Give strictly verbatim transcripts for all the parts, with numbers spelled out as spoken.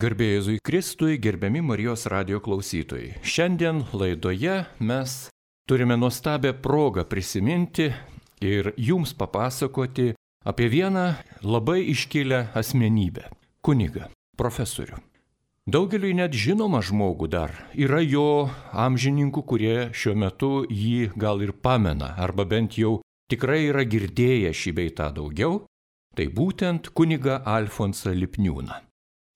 Garbė Jėzui Kristui, gerbiami Marijos radijo klausytojai. Šiandien laidoje mes turime nuostabią progą prisiminti ir jums papasakoti apie vieną labai iškilę asmenybę – kunigą, profesorių. Daugeliui net žinoma žmogų dar yra jo amžininkų, kurie šiuo metu jį gal ir pamena, arba bent jau tikrai yra girdėję šį bei tą daugiau, tai būtent kunigą Alfonsą Lipniūną.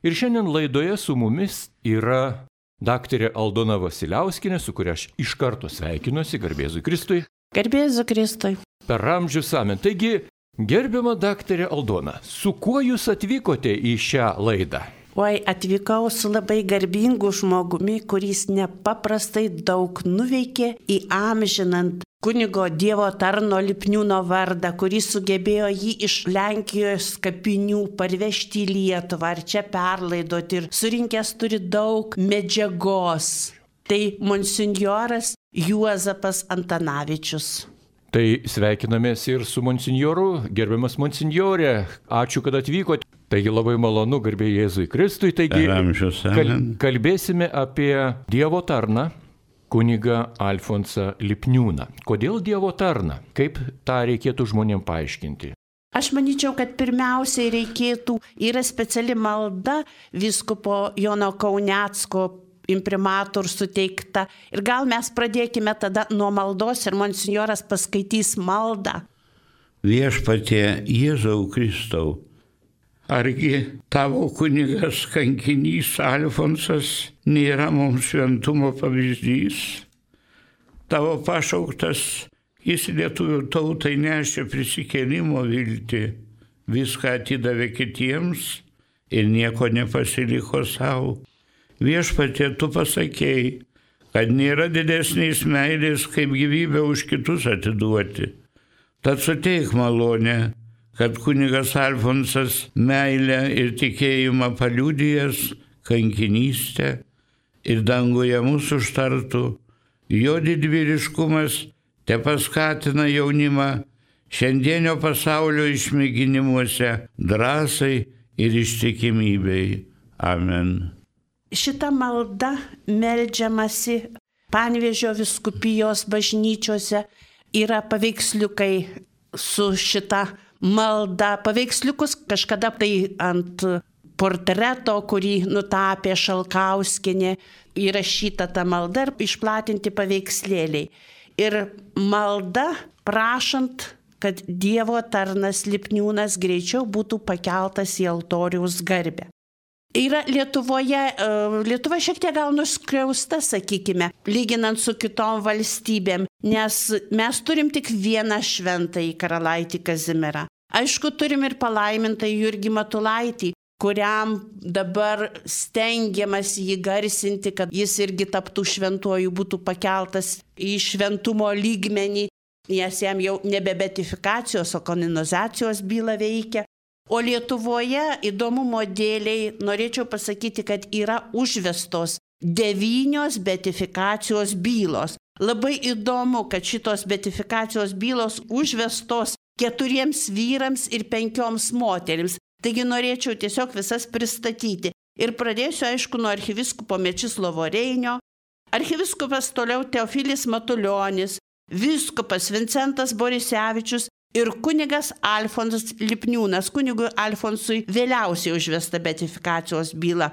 Ir šiandien laidoje su mumis yra daktarė Aldona Vasiliauskienė, su kuria aš iš karto sveikinuosi, garbė Jėzui Kristui. Garbė Jėzui Kristui. Per amžius amen. Taigi, gerbiama daktarė Aldona, su kuo jūs atvykote į šią laidą? Oi, atvykau su labai garbingu žmogumi, kuris nepaprastai daug nuveikė įamžinant kunigo Dievo tarno Lipniūno vardą, kuris sugebėjo jį iš Lenkijos kapinių parvežti į Lietuvą ar čia perlaidoti ir surinkęs turi daug medžiagos. Tai monsinjoras Juozapas Antanavičius. Tai sveikinamės ir su monsinjoru, gerbiamas monsinjorė, ačiū, kad atvykote. Taigi labai malonu, garbė Jėzui Kristui. Taigi kal, kalbėsime apie Dievo tarną, kunigą Alfonsą Lipniūną. Kodėl Dievo tarną? Kaip tą reikėtų žmonėms paaiškinti? Aš manyčiau, kad pirmiausiai reikėtų, yra speciali malda vyskupo Jono Kaunecko imprimatur suteikta. Ir gal mes pradėkime tada nuo maldos ir monsinjoras paskaitys maldą. Viešpatie Jėzau Kristau, argi tavo kunigas kankinys Alfonsas nėra mums šventumo pavyzdys? Tavo pašauktas, jis lietuvių tautai nešė prisikėlimo viltį, viską atidavė kitiems ir nieko nepasiliko savo. Viešpatie, tu pasakėjai, kad nėra didesnės meilės, kaip gyvybę už kitus atiduoti. Tad suteik malonę, kad kunigas Alfonsas meilę ir tikėjimą paliudijęs kankinystę ir danguje mūsų užtartų, jo didvyriškumas te paskatina jaunimą šiandienio pasaulio išmėginimuose drąsai ir ištikimybei. Amen. Šita malda meldžiamasi Panevėžio vyskupijos bažnyčiose, yra paveiksliukai su šita malda. Paveiksliukus kažkada tai ant portreto, kurį nutapė Šalkauskienė, įrašyta ta malda ir išplatinti paveikslėliai. Ir malda prašant, kad Dievo tarnas Lipniūnas greičiau būtų pakeltas į altoriaus garbę. Yra Lietuvoje, Lietuva šiek tiek gal nuskriausta, sakykime, lyginant su kitom valstybėm, nes mes turim tik vieną šventąjį karalaitį Kazimierą. Aišku, turim ir palaimintąjį Jurgį Matulaitį, kuriam dabar stengiamas jį garsinti, kad jis irgi taptų šventuoju, būtų pakeltas į šventumo lygmenį, nes jam jau nebe beatifikacijos, o kanonizacijos byla veikia. O Lietuvoje įdomumo dėliai norėčiau pasakyti, kad yra užvestos devynios beatifikacijos bylos. Labai įdomu, kad šitos beatifikacijos bylos užvestos keturiems vyrams ir penkioms moterims. Taigi norėčiau tiesiog visas pristatyti. Ir pradėsiu, aišku, nuo arkiviskupo Mečislovo Reinio, arkiviskupas toliau Teofilis Matulionis, vyskupas Vincentas Borisevičius, ir kunigas Alfonsas Lipniūnas, kunigui Alfonsui vėliausiai užvesta beatifikacijos byla.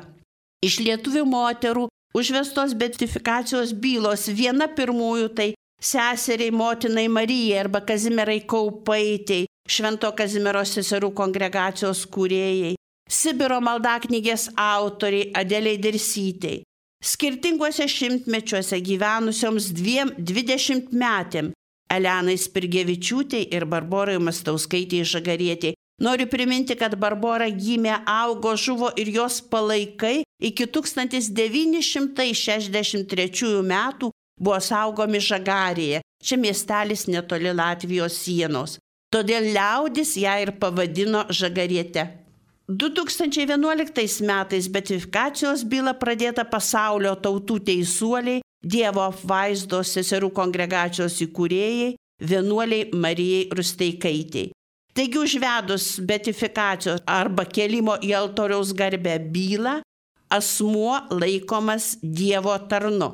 Iš lietuvių moterų užvestos beatifikacijos bylos viena pirmųjų tai seseriai motinai Marijai arba Kazimierai Kaupaitei, Švento Kazimiero seserų kongregacijos kūrėjai, Sibiro maldaknygės autoriai Adelei Dirsytei, skirtinguose šimtmečiuose gyvenusioms dviem dvidešimtmetėm Elenai Spirgevičiūtei ir Barborai Mastauskaitei Žagarietei. Noriu priminti, kad Barbora gimė, augo, žuvo ir jos palaikai iki tūkstantis devyni šimtai šešiasdešimt trečiųjų metų buvo saugomi Žagarėje. Čia miestelis netoli Latvijos sienos. Todėl liaudis ją ir pavadino Žagariete. du tūkstančiai vienuoliktais metais beatifikacijos byla pradėta pasaulio tautų teisuoliai, Dievo apvaizdos seserų kongregacijos įkūrėjai, vienuoliai Marijai Rusteikaitei. Taigi užvedus beatifikacijos arba kelimo į altoriaus garbę bylą, asmuo laikomas Dievo tarnu.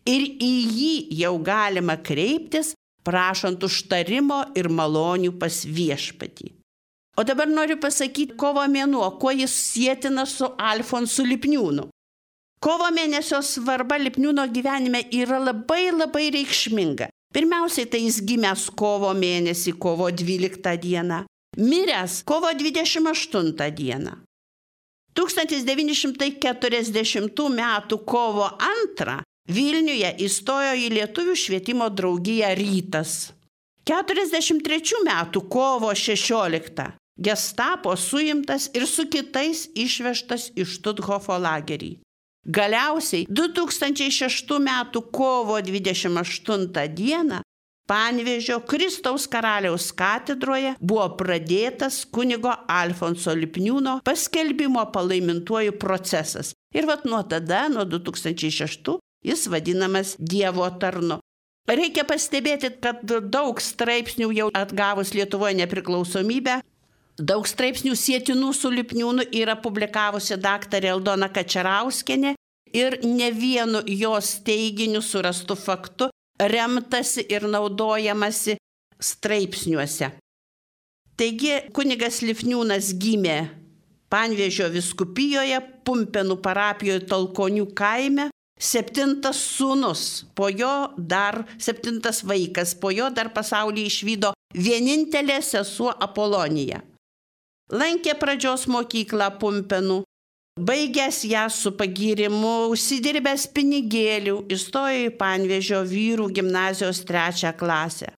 Ir į jį jau galima kreiptis, prašant užtarimo ir malonių pas viešpatį. O dabar noriu pasakyti kovo mėnuo, kuo jis sietina su Alfonsu Lipniūnu. Kovo mėnesio svarba Lipniūno gyvenime yra labai labai reikšminga. Pirmiausiai tai jis gimęs kovo mėnesį, kovo dvyliktą dieną, miręs kovo dvidešimt aštuntą dieną. tūkstantis devyni šimtai keturiasdešimtų metų kovo antrą Vilniuje įstojo į Lietuvių švietimo draugiją Rytas. keturiasdešimt trečių metų kovo šešioliktą Gestapo suimtas ir su kitais išvežtas į Štuthofo lagerį. Galiausiai du tūkstančiai šeštų metų kovo dvidešimt aštuntą dieną Panevėžio Kristaus karaliaus katedroje buvo pradėtas kunigo Alfonso Lipniūno paskelbimo palaimintuoju procesas. Ir vat nuo tada, nuo du tūkstančiai šeštų, jis vadinamas Dievo tarnu. Reikia pastebėti, kad daug straipsnių jau atgavus Lietuvoje nepriklausomybę, daug straipsnių sietinų su Lipniūnu yra publikavusi daktarė Aldona Kačerauskienė ir ne vienu jos teiginiu surastu faktu remtasi ir naudojamasi straipsniuose. Taigi kunigas Lipniūnas gimė Panevėžio vyskupijoje, Pumpėnų parapijoje Talkonių kaime, septintas sūnus, po jo dar septintas vaikas, po jo dar pasaulį išvydo vienintelė sesuo Apolonija. Lankė pradžios mokyklą Pumpėnų, baigęs ją su pagyrimu, užsidirbęs pinigėlių, įstojo į Panevėžio vyrų gimnazijos trečią klasę.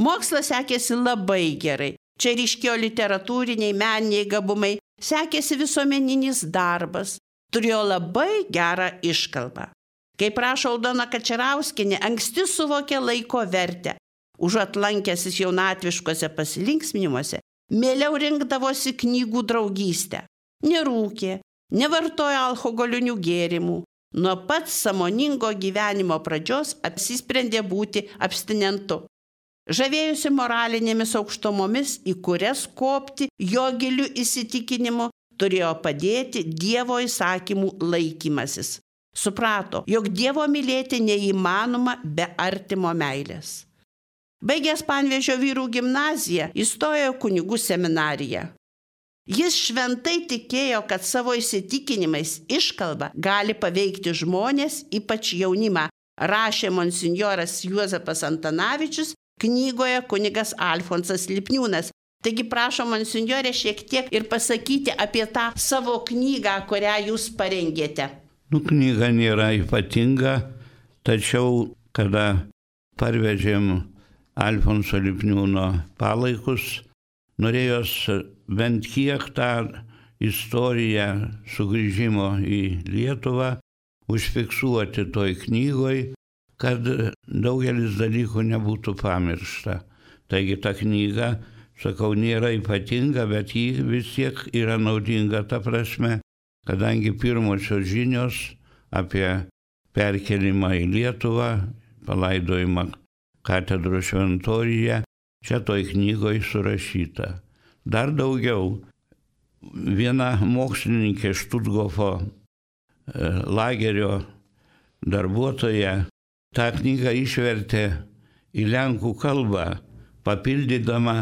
Mokslas sekėsi labai gerai. Čia ryškėjo literatūriniai, meniniai gabumai, sekėsi visuomeninis darbas, turėjo labai gerą iškalbą. Kaip rašo Aldona Kačerauskienė, anksti suvokė laiko vertę. Užuot lankęsis jaunatviškose pasilinksminimuose, mieliau rinkdavosi knygų draugystę. Nerūkė, nevartojo alkoholinių gėrimų. Nuo pat sąmoningo gyvenimo pradžios apsisprendė būti abstinentu. Žavėjusi moralinėmis aukštumomis, į kurias kopti jo giliu įsitikinimu turėjo padėti Dievo įsakymų laikymasis. Suprato, jog Dievo mylėti neįmanoma be artimo meilės. Baigęs Panevėžio vyrų gimnaziją, įstojo kunigų seminariją. Jis šventai tikėjo, kad savo įsitikinimais iškalba gali paveikti žmonės, ypač jaunimą, rašė monsinjoras Juozapas Antanavičius knygoje kunigas Alfonsas Lipniūnas. Taigi prašom, monsinjorė, šiek tiek ir pasakyti apie tą savo knygą, kurią jūs parengėte. Nu, knyga nėra ypatinga, tačiau kada parvežėm Alfonso Lipniūno palaikus, norėjos bent kiek tą istoriją sugrįžimo į Lietuvą užfiksuoti toj knygoj, kad daugelis dalykų nebūtų pamiršta. Taigi ta knyga, sakau, nėra ypatinga, bet ji vis tiek yra naudinga ta prasme, kadangi pirmosios žinios apie perkelimą į Lietuvą, palaidojimą katedros šventoriuje, čia toj knygoj surašyta. Dar daugiau, viena mokslininkė Štuthofo lagerio darbuotoja tą knygą išvertė į lenkų kalbą, papildydama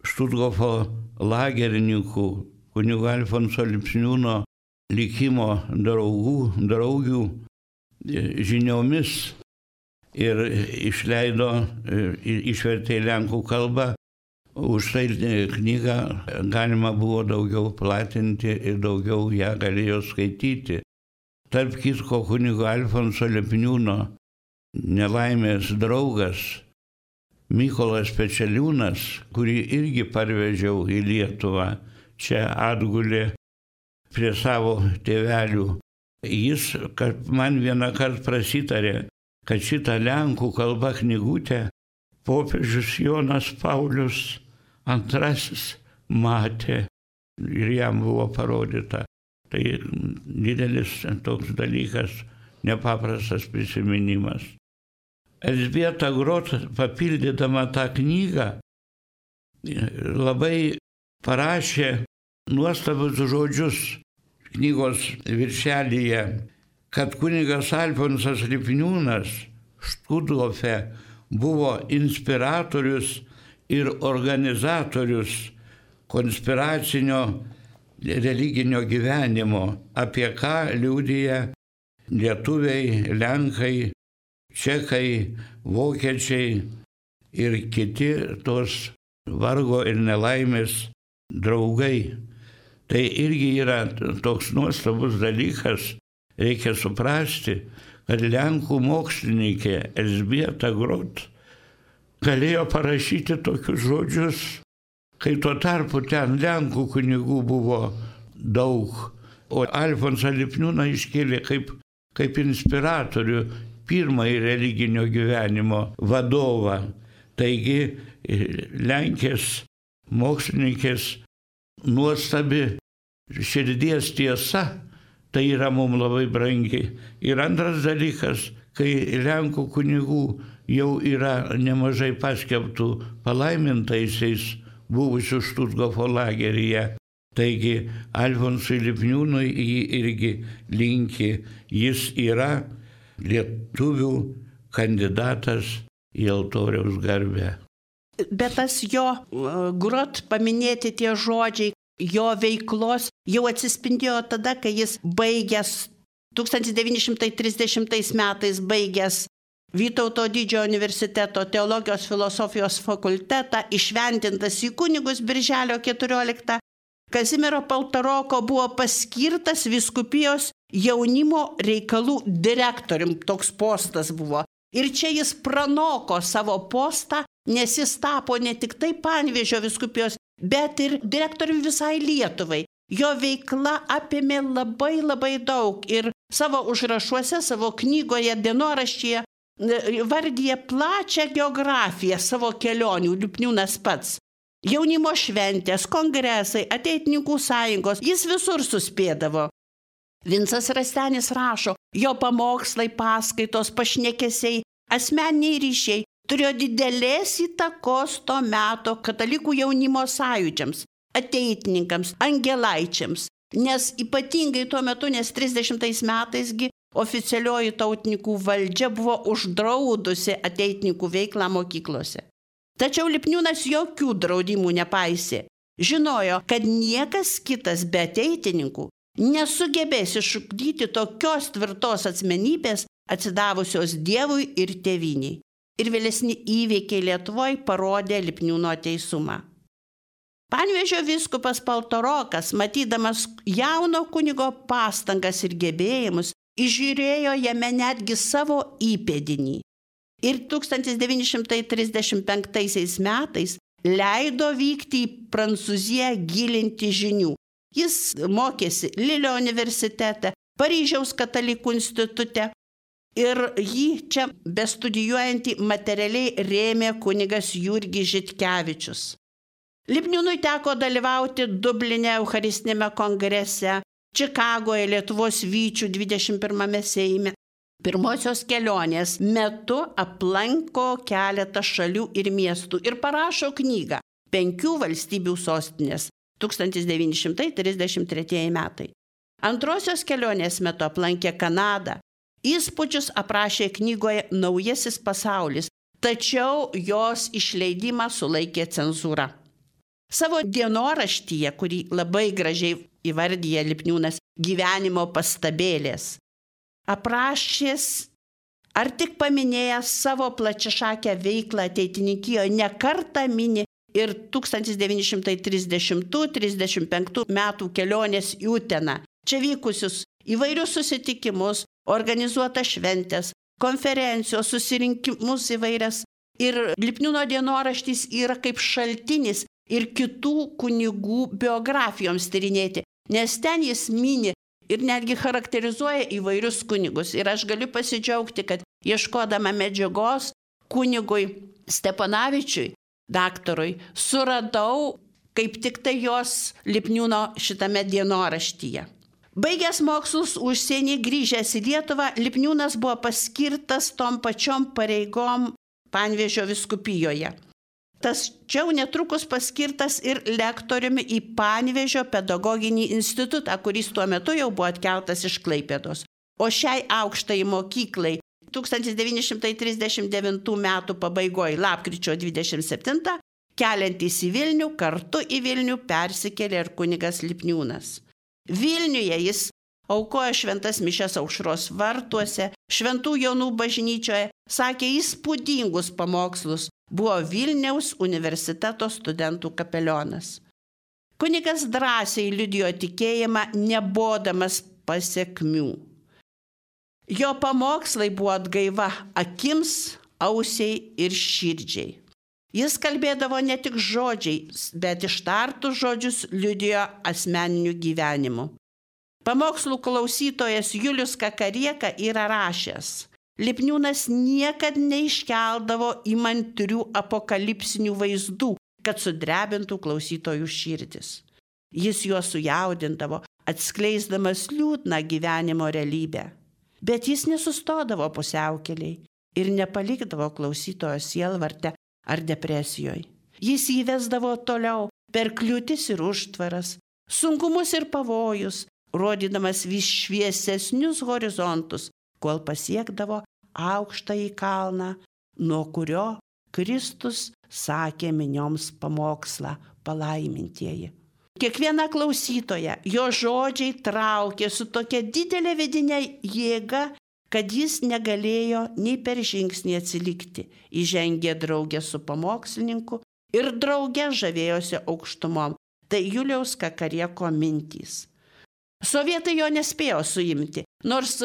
Štuthofo lagerininkų kunigo Alfonso Lipniūno likimo draugų, draugių žiniomis ir išleido, išvertė į lenkų kalbą. Už tai knygą galima buvo daugiau platinti ir daugiau ją galėjo skaityti. Tarp kitko, kunigo Alfonso Lipniūno nelaimės draugas Mykolas Pečeliūnas, kurį irgi parvežiau į Lietuvą, čia atgulė prie savo tėvelių. Jis man vieną kartą prasitarė, kad šitą lenkų kalbą knygutę popiežius Jonas Paulius antrasis matė ir jam buvo parodyta. Tai didelis toks dalykas, nepaprastas prisiminimas. Elzbieta Grot, papildydama tą knygą, labai parašė nuostabus žodžius. knygos viršelyje, kad kunigas Alfonsas Lipniūnas Štuthofė buvo inspiratorius ir organizatorius konspiracinio religinio gyvenimo, apie ką liudija lietuviai, lenkai, čekai, vokiečiai ir kiti tos vargo ir nelaimės draugai. Tai irgi yra toks nuostabus dalykas, reikia suprasti, kad lenkų mokslininkė Elzbieta Grot galėjo parašyti tokius žodžius, kai tuo tarpu ten lenkų kunigų buvo daug, o Alfonsą Lipniūną iškėlė kaip, kaip inspiratorių, pirmąjį religinio gyvenimo vadovą. Taigi Lenkės mokslininkės nuostabi širdies tiesa, tai yra mums labai brangi. Ir antras dalykas, kai Lenkų kunigų jau yra nemažai paskelbtų palaimintaisiais buvusių Štuthofo lageryje. Taigi Alfonsui Lipniūnui jį irgi linki, jis yra lietuvių kandidatas į altoriaus garbę. Bet tas jo Grot paminėti tie žodžiai, jo veiklos jau atsispindėjo tada, kai jis baigęs tūkstantis devyni šimtai trisdešimtais metais baigęs Vytauto didžiojo universiteto teologijos filosofijos fakultetą, išventintas į kunigus birželio keturioliktą, Kazimiero Paltaroko buvo paskirtas vyskupijos jaunimo reikalų direktorium, toks postas buvo. Ir čia jis pranoko savo postą, nes jis tapo ne tik tai Panevėžio vyskupijos, bet ir direktorium visai Lietuvai. Jo veikla apėmė labai labai daug ir savo užrašuose, savo knygoje, dienoraštyje vardyje plačią geografiją savo kelionių, Lipniūnas pats. Jaunimo šventės, kongresai, ateitininkų sąjungos, jis visur suspėdavo. Vincas Rastenis rašo, jo pamokslai, paskaitos, pašnekesiai, asmeniniai ryšiai turėjo didelės įtakos to meto katalikų jaunimo sąjūdžiams, ateitininkams, angelaičiams, nes ypatingai tuo metu, nes trisdešimtais metais oficialioji tautininkų valdžia buvo uždraudusi ateitininkų veiklą mokyklose. Tačiau Lipniūnas jokių draudimų nepaisė. Žinojo, kad niekas kitas be ateitininkų nesugebės išugdyti tokios tvirtos asmenybės atsidavusios Dievui ir tėvynei. Ir vėlesni įvykiai Lietuvoje parodė Lipniūno teisumą. Panevėžio vyskupas Paltarokas, matydamas jauno kunigo pastangas ir gebėjimus, įžiūrėjo jame netgi savo įpėdinį. Ir tūkstantis devyni šimtai trisdešimt penktaisiais metais leido vykti į Prancūziją gilinti žinių. Jis mokėsi Lilio universitete, Paryžiaus katalikų institute ir jį čia bestudijuojantį materialiai rėmė kunigas Jurgis Žitkevičius. Lipniūnui teko dalyvauti Dubline Eucharistinėme kongrese, Čikagoje Lietuvos vyčių dvidešimt pirmame Seime. Pirmosios kelionės metu aplanko keletą šalių ir miestų ir parašo knygą Penkių valstybių sostinės tūkstantis devyni šimtai trisdešimt tretieji metai. Antrosios kelionės metu aplankė Kanadą. Įspūdžius aprašė knygoje Naujasis pasaulis, tačiau jos išleidimą sulaikė cenzūra. Savo dienoraštyje, kurį labai gražiai įvardyja Lipniūnas, gyvenimo pastabėlės, aprašęs ar tik paminėjęs savo plačiašakę veiklą ateitininkijoje, ne kartą mini ir tūkstantis devyni šimtai trisdešimtų trisdešimt penktų metų kelionės į Uteną. Čia vykusius įvairius susitikimus, organizuotas šventės, konferencijos, susirinkimus įvairias. Ir Lipniūno dienoraštys yra kaip šaltinis ir kitų kunigų biografijoms tyrinėti, nes ten jis mini ir netgi charakterizuoja įvairius kunigus. Ir aš galiu pasidžiaugti, kad ieškodama medžiagos kunigui Stepanavičiui, daktarui, suradau kaip tik tai jos Lipniūno šitame dienoraštyje. Baigęs mokslus užsienį, grįžęs į Lietuvą, Lipniūnas buvo paskirtas tom pačiom pareigom Panevėžio vyskupijoje. Tačiau netrukus paskirtas ir lektoriumi į Panevėžio pedagoginį institutą, kuris tuo metu jau buvo atkeltas iš Klaipėdos. O šiai aukštai mokyklai tūkstantis devyni šimtai trisdešimt devintų metų pabaigoje, lapkričio dvidešimt septintą, keliantis į Vilnių, kartu į Vilnių persikėlė ir kunigas Lipniūnas. Vilniuje jis aukojo šventas mišias Aušros vartuose, Šventų Jonų bažnyčioje, sakė įspūdingus pamokslus, buvo Vilniaus universiteto studentų kapelionas. Kunigas drąsiai liudijo tikėjimą, nebodamas pasekmių. Jo pamokslai buvo atgaiva akims, ausiai ir širdžiai. Jis kalbėdavo ne tik žodžiais, bet ištartus žodžius liudijo asmeniniu gyvenimu. Pamokslų klausytojas Julius Kakarieka yra rašęs: Lipniūnas niekad neiškeldavo įmantrių apokalipsinių vaizdų, kad sudrebintų klausytojų širdis. Jis juos sujaudindavo, atskleisdamas liūdną gyvenimo realybę. Bet jis nesustodavo pusiaukeliai ir nepalikdavo klausytojo sielvarte ar depresijoje. Jis įvesdavo toliau per kliūtis ir užtvaras, sunkumus ir pavojus, rodydamas vis šviesesnius horizontus, kol pasiekdavo aukštąjį kalną, nuo kurio Kristus sakė minioms pamokslą: palaimintieji. Kiekviena klausytoja jo žodžiai traukė su tokia didelė vidinė jėga, kad jis negalėjo nei per žingsnį atsilikti. Įžengė draugė su pamokslininku ir draugė žavėjosi aukštumom. Tai Juliaus Kakarieko mintys. Sovietai jo nespėjo suimti, nors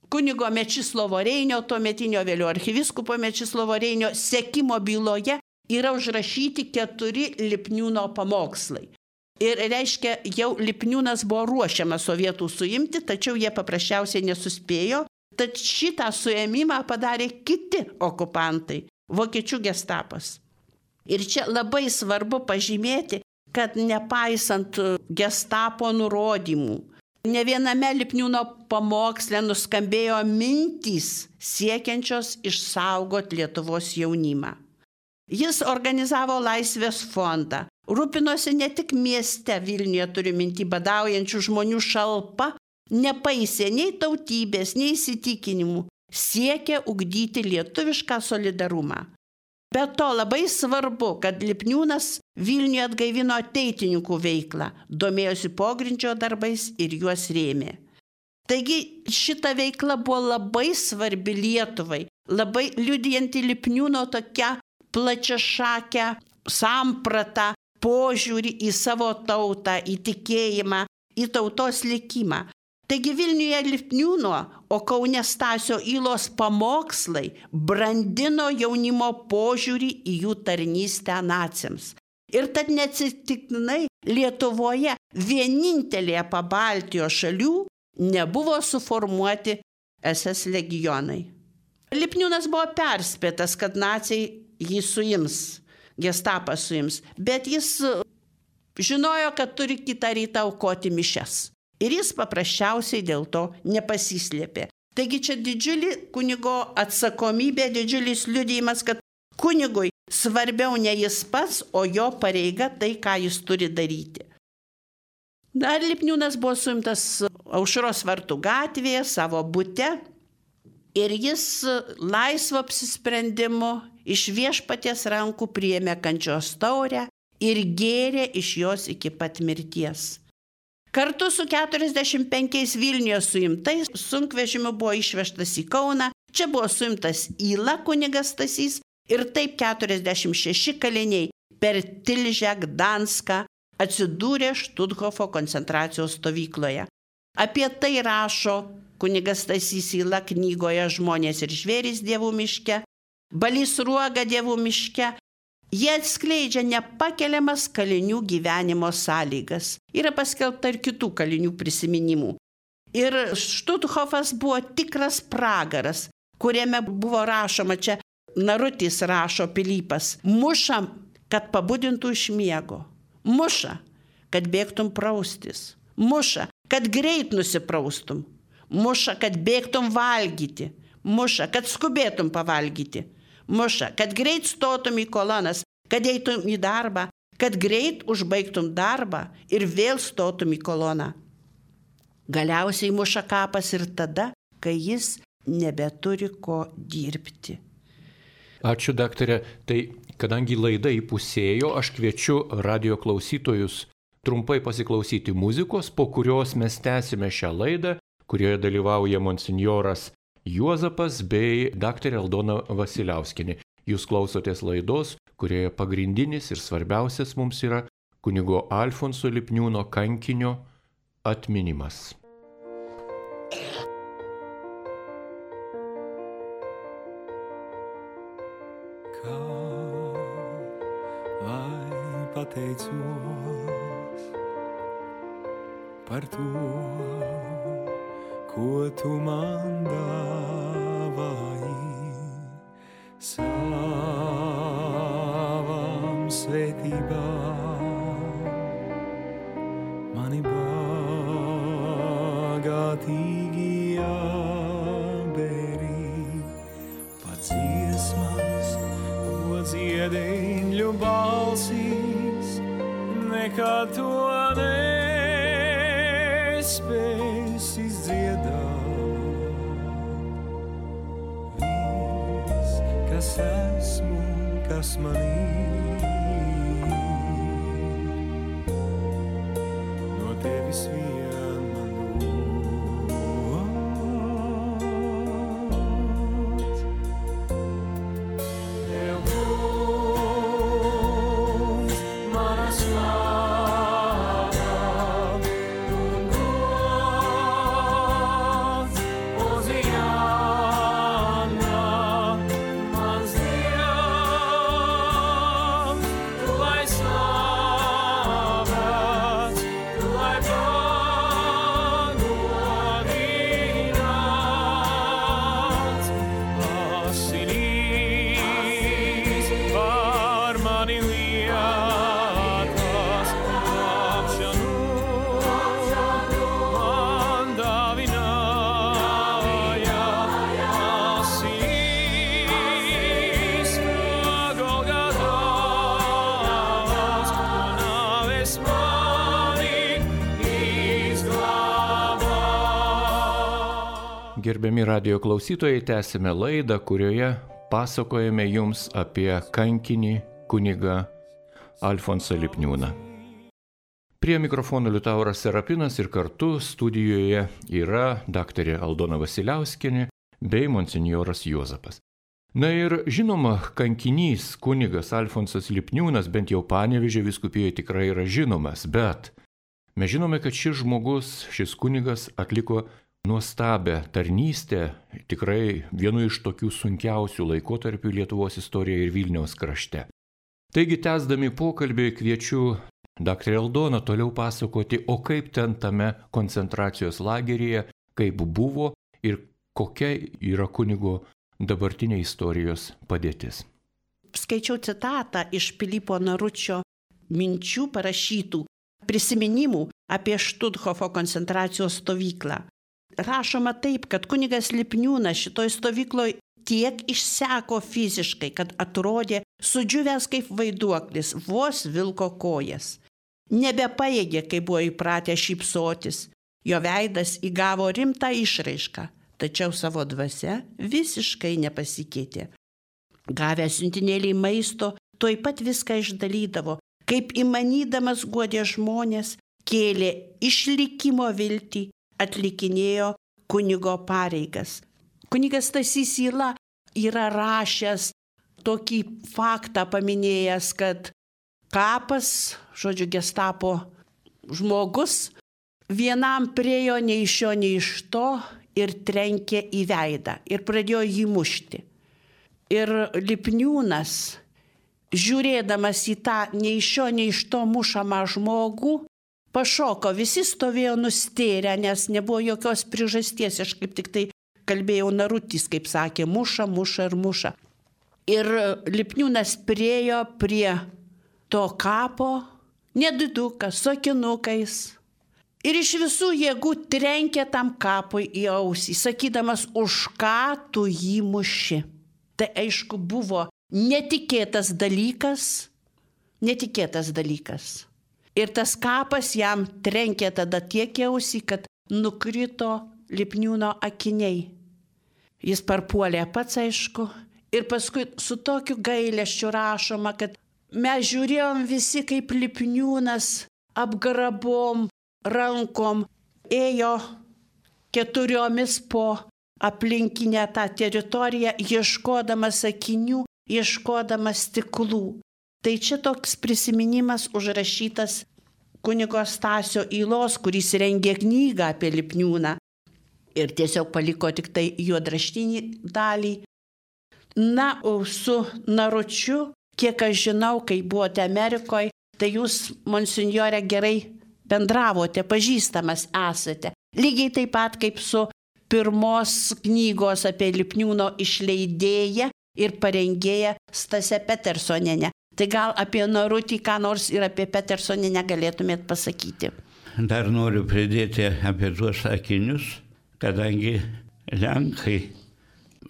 kunigo Mečislovo Reinio, tuometinio vėliau arkiviskupo Mečislovo Reinio sekimo byloje yra užrašyti keturi Lipniūno pamokslai. Ir reiškia, jau Lipniūnas buvo ruošiamas sovietų suimti, tačiau jie paprasčiausiai nesuspėjo. Tad šitą suėmimą padarė kiti okupantai, vokiečių gestapas. Ir čia labai svarbu pažymėti, kad nepaisant gestapo nurodymų, ne viename Lipniūno pamoksle nuskambėjo mintys siekiančios išsaugoti Lietuvos jaunimą. Jis organizavo Laisvės fondą, rūpinosi ne tik mieste Vilniuje, turiu minti, badaujančių žmonių šalpa, nepaisė nei tautybės, nei įsitikinimų, siekė ugdyti lietuvišką solidarumą. Be to labai svarbu, kad Lipniūnas Vilniuje atgaivino ateitininkų veiklą, domėjosi pogrindžio darbais ir juos rėmė. Taigi šita veikla buvo labai svarbi Lietuvai, labai liudijanti Lipniūno tokią plačiašakę sampratą, požiūrį į savo tautą, į tikėjimą, į tautos likimą. Taigi Vilniuje Lipniūno, o Kaune Stasio Ylos pamokslai brandino jaunimo požiūrį į jų tarnystę naciams. Ir tad neatsitiktinai Lietuvoje vienintelėje Pabaltijos šalių nebuvo suformuoti es es legionai. Lipniūnas buvo perspėtas, kad naciai jį suims, gestapas suims, bet jis žinojo, kad turi kitą rytą aukoti mišias. Ir jis paprasčiausiai dėl to nepasislėpė. Taigi čia didžiulį kunigo atsakomybė, didžiulis liudijimas, kad kunigui svarbiau ne jis pats, o jo pareiga tai, ką jis turi daryti. Dar Lipniūnas buvo suimtas Aušros vartų gatvėje, savo bute, ir jis laisvo apsisprendimu iš viešpaties rankų priėmė kančios taurę ir gėrė iš jos iki pat mirties. Kartu su keturiasdešimt penkiais Vilniuje suimtais sunkvežimiu buvo išvežtas į Kauną, čia buvo suimtas Yla kunigas Stasys ir taip keturiasdešimt šeši kaliniai per Tilžę, Gdanską atsidūrė Štuthofo koncentracijos stovykloje. Apie tai rašo kunigas Stasys Yla knygoje Žmonės ir žvėrys dievų miške, Balys Sruoga dievų miške. Jie atskleidžia nepakeliamas kalinių gyvenimo sąlygas. Yra paskelbta ir kitų kalinių prisiminimų. Ir Štuthofas buvo tikras pragaras, kuriame buvo rašoma, čia Narutis rašo Pilypas, muša, kad pabudintų iš miego, muša, kad bėgtum praustis, muša, kad greit nusipraustum, muša, kad bėgtum valgyti, muša, kad skubėtum pavalgyti, muša, kad greit stotum į kolonas, kad eitum į darbą, kad greit užbaigtum darbą ir vėl stotum į koloną. Galiausiai muša kapas ir tada, kai jis nebeturi ko dirbti. Ačiū, daktarė. Tai kadangi laida įpusėjo, aš kviečiu radio klausytojus trumpai pasiklausyti muzikos, po kurios mes tęsime šią laidą, kurioje dalyvauja monsinjoras Juozapas bei daktarė Aldona Vasiliauskienė. Jūs klausotės laidos, kurioje pagrindinis ir svarbiausias mums yra kunigo Alfonso Lipniūno kankinio atminimas. Kā lai pateicos par to, ko tu man dāvāji, savam svētībām mani bagātīgi jāberi, pat dziesmas, ko dziedēņu balsīs, nekad to nespēs izdziedāt. Viss, kas esmu, kas manī, no tevis vien man dots. Tev kungs, mana slāva un gods, Oziāna, mans Dievs, tu lai slavēts, tu lai pagodināts, asinīs par mani lietas, glābšanu man dāvināja, asinīs no Golgatās, no nāves mani izglābā. Gerbiami radio klausytojai, tęsime laidą, kurioje pasakojame jums apie kankinį kunigą Alfonsą Lipniūną. Prie mikrofono Liutauras Serapinas ir kartu studijoje yra daktarė Aldona Vasiliauskienė bei monsinjoras Juozapas. Na ir žinoma, kankinys kunigas Alfonsas Lipniūnas bent jau Panevėžio vyskupijoje tikrai yra žinomas, bet mes žinome, kad šis žmogus, šis kunigas atliko nuostabią tarnystę, tikrai vienu iš tokių sunkiausių laikotarpių Lietuvos istorijoje ir Vilniaus krašte. Taigi, tęsdami pokalbį, kviečiu daktarę Aldoną toliau pasakoti, o kaip ten tame koncentracijos lageryje, kaip buvo ir kokia yra kunigo dabartinė istorijos padėtis. Skaičiau citatą iš Pilypo Naručio minčių parašytų prisiminimų apie Štuthofo koncentracijos stovyklą. Rašoma taip, kad kunigas Lipniūnas šitoj stovykloje tiek išseko fiziškai, kad atrodė sudžiūvęs kaip vaiduoklis, vos vilko kojas. Nebepajėgė, kai buvo įpratę šypsotis. Jo veidas įgavo rimtą išraišką, tačiau savo dvasia visiškai nepasikeitė. Gavęs siuntinėlį maisto, tuoj pat viską išdalydavo, kaip įmanydamas guodė žmonės, kėlė išlikimo viltį, atlikinėjo kunigo pareigas. Kunigas Stasys Yla yra rašęs tokį faktą paminėjęs, kad kapas, žodžiu, gestapo žmogus, vienam priejo nei iš šio, nei iš to ir trenkė į veidą ir pradėjo jį mušti. Ir Lipniūnas, žiūrėdamas į tą nei iš šio, nei iš to mušamą žmogų, pašoko, visi stovėjo nustėrę, nes nebuvo jokios priežasties, aš kaip tik tai kalbėjau Narutis, kaip sakė, muša, muša ir muša. Ir Lipniūnas priejo prie to kapo, nedidukas, su akinukais. Ir iš visų jėgų trenkė tam kapui į ausį, sakydamas, už ką tu jį muši. Tai aišku buvo netikėtas dalykas, netikėtas dalykas. Ir tas kapas jam trenkė tada tiek ausį, kad nukrito Lipniūno akiniai. Jis parpuolė pats, aišku, ir paskui su tokiu gailesčiu rašoma, kad mes žiūrėjom visi, kaip Lipniūnas apgrabom rankom ėjo keturiomis po aplinkinę tą teritoriją, ieškodamas akinių, ieškodamas stiklų. Tai čia toks prisiminimas užrašytas kunigo Stasio Ylos, kuris rengė knygą apie Lipniūną ir tiesiog paliko tik tai juodraštinį dalį. Na, o su Naručiu, kiek aš žinau, kai buvote Amerikoje, tai jūs, monsinjore, gerai bendravote, pažįstamas esate. Lygiai taip pat kaip su pirmos knygos apie Lipniūno išleidėja ir parengėja Stase Petersonienė. Tai gal apie Narutį, ką nors ir apie Petersonienę galėtumėt pasakyti. Dar noriu pridėti apie tuos akinius, kadangi Lenkai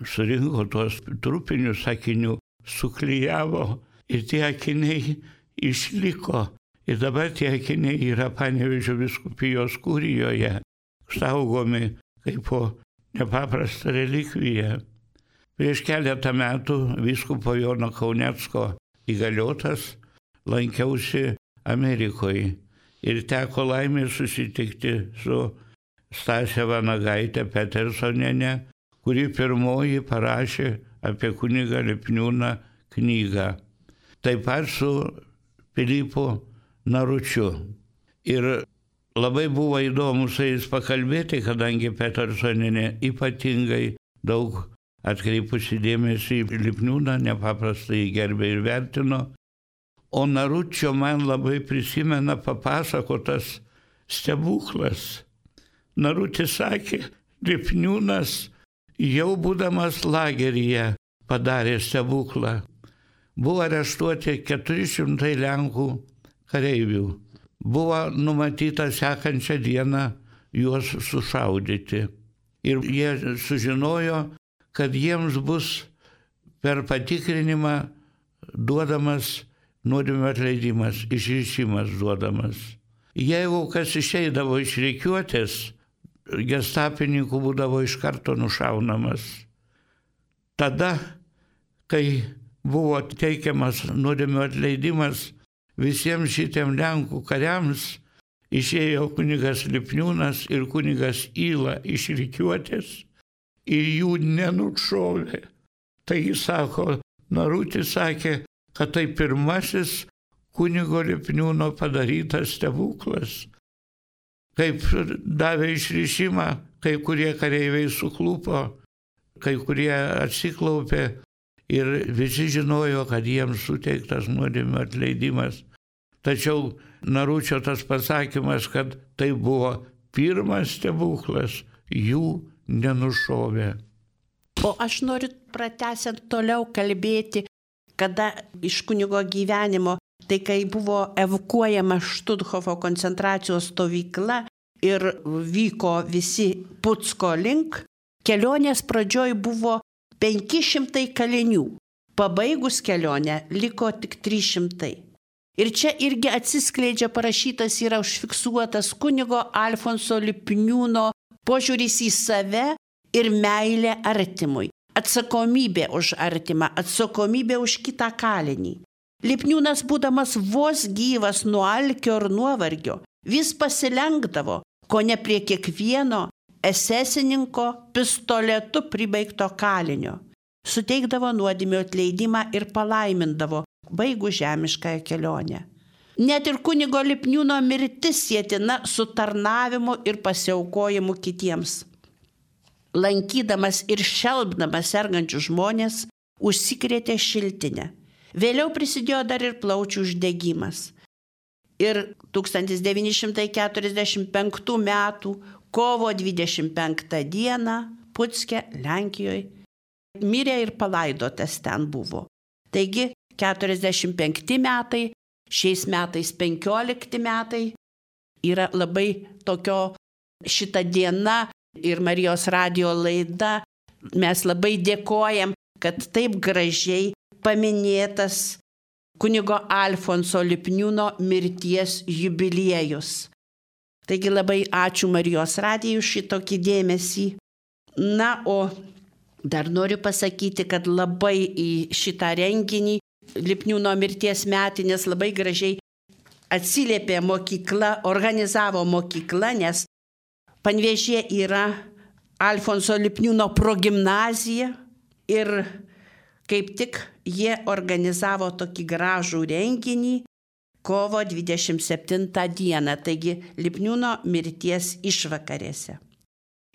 surinko tuos trupinius akinių, suklijavo ir tie akiniai išliko. Ir dabar tie akiniai yra Panevėžio vyskupijos kurijoje, saugomi kaip po nepaprastą relikviją. Prieš keletą metų vyskupo Jono Kaunecko įgaliotas lankiausi Amerikoje ir teko laimė susitikti su Stase Vanagaitė Petersonienė, kuri pirmoji parašė apie kunigą Lipniūną knygą. Taip pat su Pilypu Naručiu. Ir labai buvo įdomu su jais pakalbėti, kadangi Petersonienė ypatingai daug atkreipusi dėmesį į Lipniūną, nepaprastai gerbė ir vertino. O Naručio man labai prisimena papasakotas stebuklas. Narutis sakė, Lipniūnas jau būdamas lageryje padarė stebuklą. Buvo areštuoti keturi šimtai Lenkų kareivių. Buvo numatyta sekančią dieną juos sušaudyti. Ir jie sužinojo, kad jiems bus per patikrinimą duodamas nuodėmių atleidimas, išrišimas duodamas. Jeigu kas išeidavo iš rikiuotės, gestapininkų būdavo iš karto nušaunamas. Tada, kai buvo teikiamas nuodėmių atleidimas visiems šitiem Lenkų kariams, išėjo kunigas Lipniūnas ir kunigas Yla iš rikiuotės ir jų nenušovė. Tai jis sako, Narutis sakė, kad tai pirmasis kunigo Lipniūno padarytas stebuklas. Kaip davė išrišimą, kai kurie kareiviai suklupo, kai kurie atsiklaupė ir visi žinojo, kad jiems suteiktas nuodėmių atleidimas. Tačiau Naručio tas pasakymas, kad tai buvo pirmas stebuklas, jų nenušovė. O aš noriu pratęsiant toliau kalbėti, kada iš kunigo gyvenimo, tai kai buvo evakuojama Štuthofo koncentracijos stovykla ir vyko visi Pucko link, kelionės pradžioj buvo penki šimtai kalinių. Pabaigus kelionę liko tik trys šimtai. Ir čia irgi atsiskleidžia, parašytas yra užfiksuotas kunigo Alfonso Lipniūno požiūris į save ir meilė artimui. Atsakomybė už artimą, atsakomybė už kitą kalinį. Lipniūnas, būdamas vos gyvas nuo alkio ir nuovargio, vis pasilenkdavo, ko ne prie kiekvieno esesininko pistoletu pribaigto kalinio. Suteikdavo nuodėmių atleidimą ir palaimindavo, baigų žemiškąją kelionę. Net ir kunigo Lipniūno mirtis sietina su tarnavimu ir pasiaukojimu kitiems. Lankydamas ir šelbdamas sergančius žmonės, užsikrėtė šiltinę. Vėliau prisidėjo dar ir plaučių uždegimas. Ir tūkstantis devyni šimtai keturiasdešimt penktų metų kovo dvidešimt penktą dieną Pucke, Lenkijoje, mirė ir palaidotas ten buvo. Taigi keturiasdešimt penkti metai, šiais metais penkiolikti metai yra labai tokio šita diena ir Marijos radijo laida. Mes labai dėkojam, kad taip gražiai paminėtas kunigo Alfonso Lipniūno mirties jubiliejus. Taigi labai ačiū Marijos radijui šitokį dėmesį. Na, o dar noriu pasakyti, kad labai į šitą renginį Lipniūno mirties metinės labai gražiai atsiliepė mokykla, organizavo mokykla, nes Panevėžyje yra Alfonso Lipniūno progimnazija ir kaip tik jie organizavo tokį gražų renginį kovo dvidešimt septintą dieną, taigi Lipniūno mirties išvakarėse.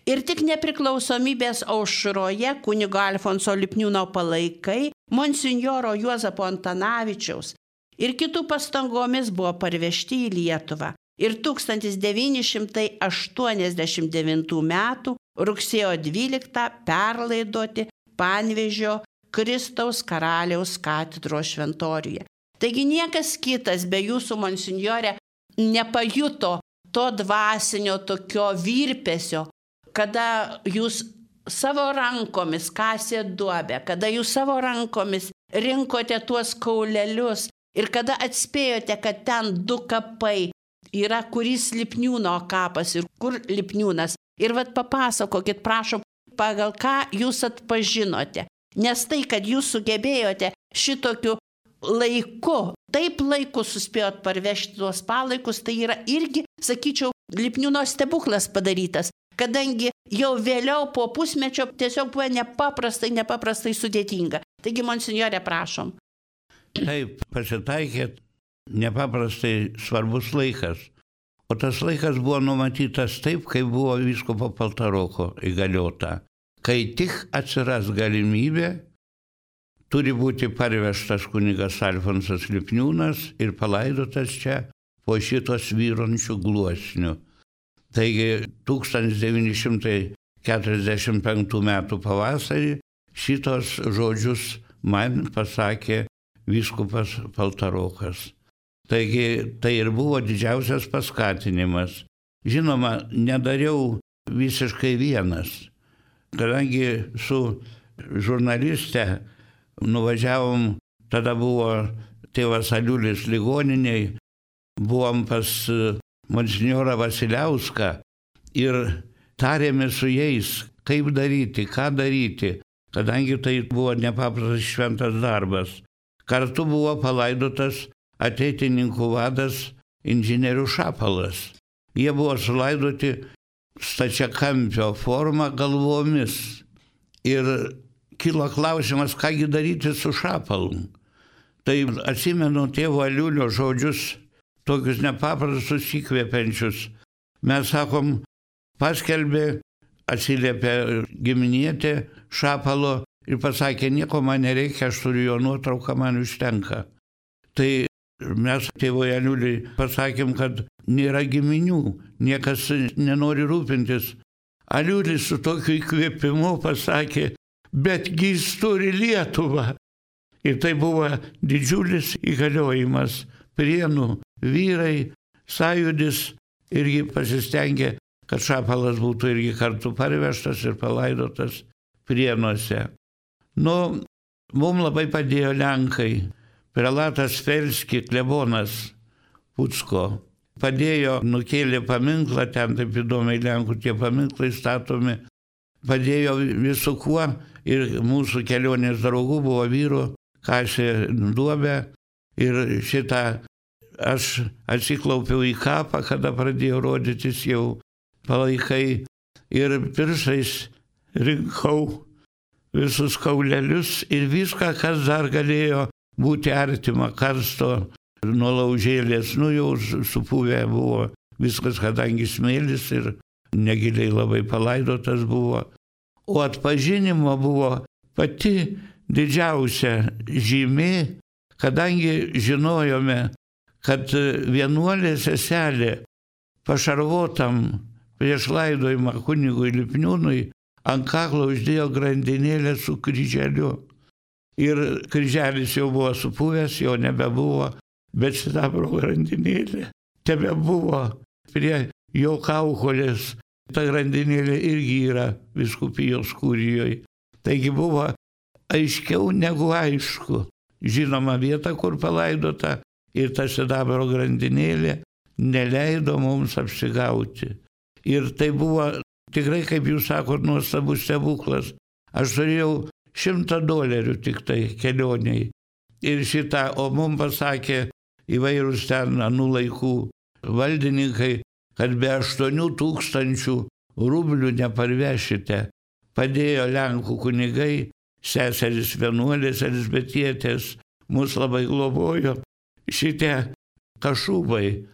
Ir tik nepriklausomybės aušroje kunigo Alfonso Lipniūno palaikai, monsinjoro Juozapo Antanavičiaus ir kitų pastangomis buvo parvežti į Lietuvą. Ir tūkstantis devyni šimtai aštuoniasdešimt devintų metų rugsėjo dvyliktą perlaidoti Panevėžio Kristaus karaliaus katedros šventoriuje. Taigi niekas kitas be jūsų, monsinjore, nepajuto to dvasinio tokio virpesio, kada jūs savo rankomis kasė duobę, kada jūs savo rankomis rinkote tuos kaulelius ir kada atspėjote, kad ten du kapai yra, kuris Lipniūno kapas ir kur Lipniūnas. Ir vat papasakokit, prašom, pagal ką jūs atpažinote. Nes tai, kad jūs sugebėjote šitokiu laiku, taip laiku suspėjot parvežti tuos palaikus, tai yra irgi, sakyčiau, Lipniūno stebuklas padarytas, kadangi jau vėliau po pusmečio tiesiog buvo nepaprastai, nepaprastai sudėtinga. Taigi, monsinjore, prašom. Taip, pasitaikė nepaprastai svarbus laikas. O tas laikas buvo numatytas taip, kaip buvo vyskupo Paltaroko įgaliota. Kai tik atsiras galimybė, turi būti parvežtas kunigas Alfonsas Lipniūnas ir palaidotas čia po šitos vyrončių gluosnių. Taigi tūkstantis devyni šimtai keturiasdešimt penktų metų pavasarį šitos žodžius man pasakė vyskupas Paltarokas. Taigi tai ir buvo didžiausias paskatinimas. Žinoma, nedariau visiškai vienas. Kadangi su žurnaliste nuvažiavom, tada buvo tėvas Aliulis ligoniniai, buvom pas monsinjorą Vasiliauską ir tarėme su jais, kaip daryti, ką daryti, kadangi tai buvo nepaprastas šventas darbas. Kartu buvo palaidotas ateitininkų vadas inžinierių Šapalas. Jie buvo sulaidoti stačiakampio formą galvomis. Ir kilo klausimas, kągi daryti su Šapalu. Tai atsimenu tėvo Aliulio žodžius, tokius nepaprastus įkvepiančius. Mes sakom, paskelbė, atsiliepė giminietė Šapalo ir pasakė, nieko man nereikia, aš turiu jo nuotrauką, man užtenka. Tai mes tėvui Aliuliui pasakėm, kad nėra giminių, niekas nenori rūpintis. Aliulis su tokiu įkvėpimu pasakė, betgi jis turi Lietuvą. Ir tai buvo didžiulis įgaliojimas. Prienų vyrai, sąjūdis irgi pasistengė, kad Šapalas būtų irgi kartu parvežtas ir palaidotas Prienuose. Nu, mums labai padėjo Lenkai. Prelatas Felski, klebonas Pucko, padėjo, nukėlė paminklą, ten taip įdomiai Lenkų tie paminklai statomi, padėjo visų kuo ir mūsų kelionės draugų buvo vyrų, kasė duobę ir šitą aš atsiklaupiau į kapą, kada pradėjo rodytis jau palaikai ir pirštais rinkau visus kaulelius ir viską, kas dar galėjo būti artima karsto nuo laužėlės, nu jau supuvę buvo viskas, kadangi smėlis ir negiliai labai palaidotas buvo. O atpažinimo buvo pati didžiausia žymė, kadangi žinojome, kad vienuolė seselė pašarvotam prieš laidojimą kunigui Lipniūnui ant kaklo uždėjo grandinėlę su kryželiu. Ir kryželis jau buvo supuvęs, jo nebebuvo, bet sidabro grandinėlė tebebuvo prie jo kaukolės. Ta grandinėlė irgi yra vyskupijos kurijoje. Taigi buvo aiškiau negu aišku. žinomą vietą, kur palaidota, ir ta sidabro grandinėlė neleido mums apsigauti. Ir tai buvo tikrai, kaip jūs sakot, nuostabus stebuklas. Aš turėjau šimtą dolerių tik tai kelioniai. Ir šitą, o mums pasakė įvairūs ten anų laikų valdininkai, kad be aštuonių tūkstančių rublių neparvešite. Padėjo Lenkų kunigai, seserys vienuolės, elzbietietės, mus labai globojo. Šitie Kašubai,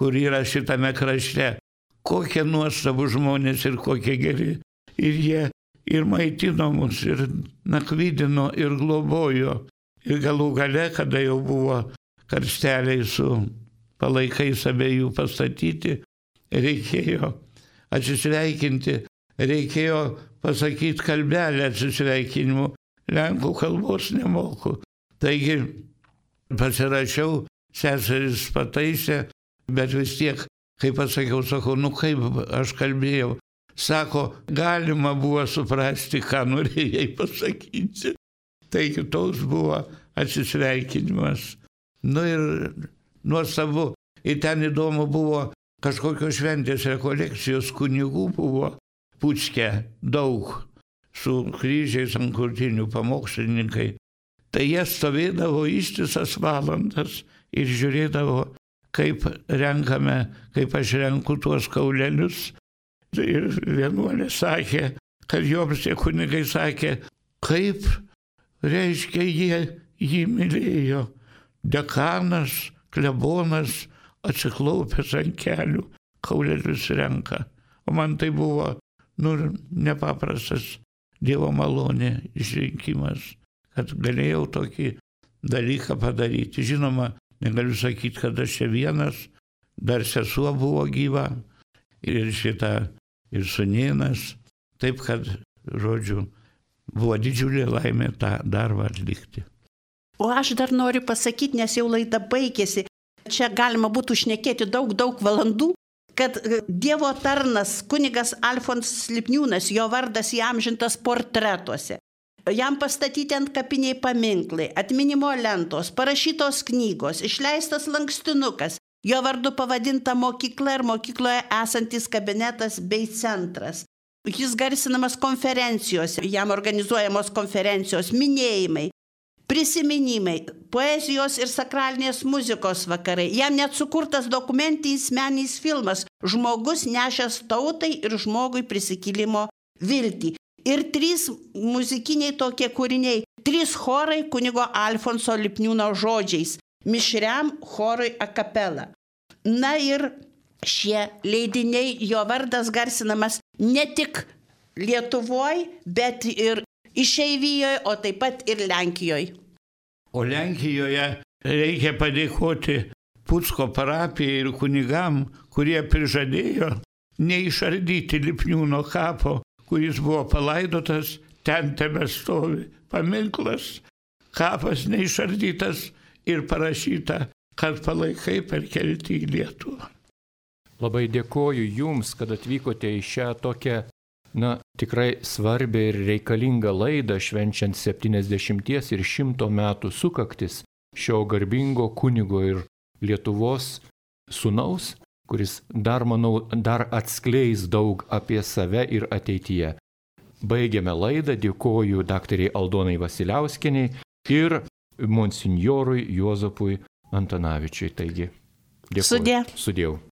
kur yra šitame krašte, kokie nuostabų žmonės ir kokie geri. Ir jie ir maitino mus, ir nakvydino, ir globojo. Ir galų gale, kada jau buvo karsteliai su palaikais abiejų pastatyti, reikėjo atsisveikinti, reikėjo pasakyti kalbelę atsisveikinimu. Lenkų kalbos nemoku. Taigi pasirašiau, seseris pataisė, bet vis tiek, kaip pasakiau, sakau, nu kaip aš kalbėjau. Sako, galima buvo suprasti, ką norėjai pasakyti. Taigi toks buvo atsisveikinimas. Nu ir nuostabu. Ir ten įdomu buvo, kažkokios šventės rekolekcijos kunigų buvo Pucke daug, su kryžiais ant krūtinių pamokslininkai. Tai jie stovėdavo ištisas valandas ir žiūrėdavo, kaip renkame, kaip aš renku tuos kaulelius. Ir vienuolė sakė, kad joms tie kunigai sakė, kaip reiškia jie jį mylėjo. Dekanas, klebonas atsiklaupęs ant kelių, kaulelius renka. O man tai buvo, nu, nepaprastas Dievo malonė išrinkimas, kad galėjau tokį dalyką padaryti. Žinoma, negaliu sakyti, kad aš čia vienas, dar sesuo buvo gyva ir šita, ir sūnėnas. Taip, kad, žodžiu, buvo didžiulė laimė tą darbą atlikti. O aš dar noriu pasakyti, nes jau laida baigėsi. Čia galima būtų šnekėti daug, daug valandų, kad Dievo tarnas, kunigas Alfonsas Lipniūnas, jo vardas įamžintas portretuose. Jam pastatyti ant kapiniai paminklai, atminimo lentos, parašytos knygos, išleistas lankstinukas, jo vardu pavadinta mokykla ir mokykloje esantis kabinetas bei centras. Jis garsinamas konferencijose, jam organizuojamos konferencijos, minėjimai, prisiminimai, poezijos ir sakralinės muzikos vakarai. Jam net sukurtas dokumentinis meninis filmas Žmogus nešęs tautai ir žmogui prisikėlimo viltį. Ir trys muzikiniai tokie kūriniai, trys chorai kunigo Alfonso Lipniūno žodžiais, mišriam chorui a capella. Na ir šie leidiniai, jo vardas garsinamas ne tik Lietuvoje, bet ir Išeivijoje, o taip pat ir Lenkijoje. O Lenkijoje reikia padėkoti Pucko parapijai ir kunigam, kurie prižadėjo neišardyti Lipniūno kapo, kuris buvo palaidotas, ten tebestovi paminklas, kapas neišardytas ir parašyta, kad palaikai perkelti į Lietuvą. Labai dėkoju Jums, kad atvykote į šią tokią, na, tikrai svarbią ir reikalingą laidą, švenčiant septyniasdešimties ir šimto metų sukaktis šio garbingo kunigo ir Lietuvos sūnaus, kuris dar, manau, dar atskleis daug apie save ir ateityje. Baigiame laidą, dėkoju daktarei Aldonai Vasiliauskienei ir monsinjorui Juozapui Antanavičiui. Taigi, dėkoju. Sudie. Sudėjau.